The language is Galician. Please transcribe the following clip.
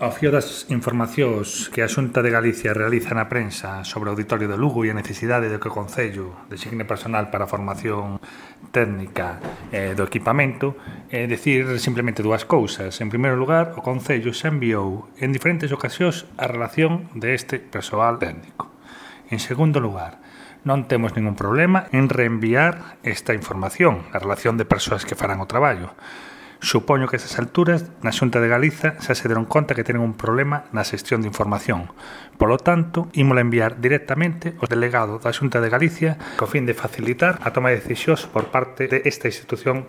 Ao fío das informacións que a Xunta de Galicia realiza na prensa sobre o Auditorio de Lugo e a necesidade de que o Concello designe personal para a formación técnica do equipamento, decir simplemente dúas cousas. En primeiro lugar, o Concello xa enviou en diferentes ocasións a relación deste persoal técnico. En segundo lugar, non temos ningún problema en reenviar esta información, a relación de persoas que farán o traballo. Supoño que a estas alturas, na Xunta de Galiza, xa se deron conta que tenen un problema na xestión de información. Polo tanto, ímola enviar directamente ao delegado da Xunta de Galicia co fin de facilitar a toma de decisións por parte desta institución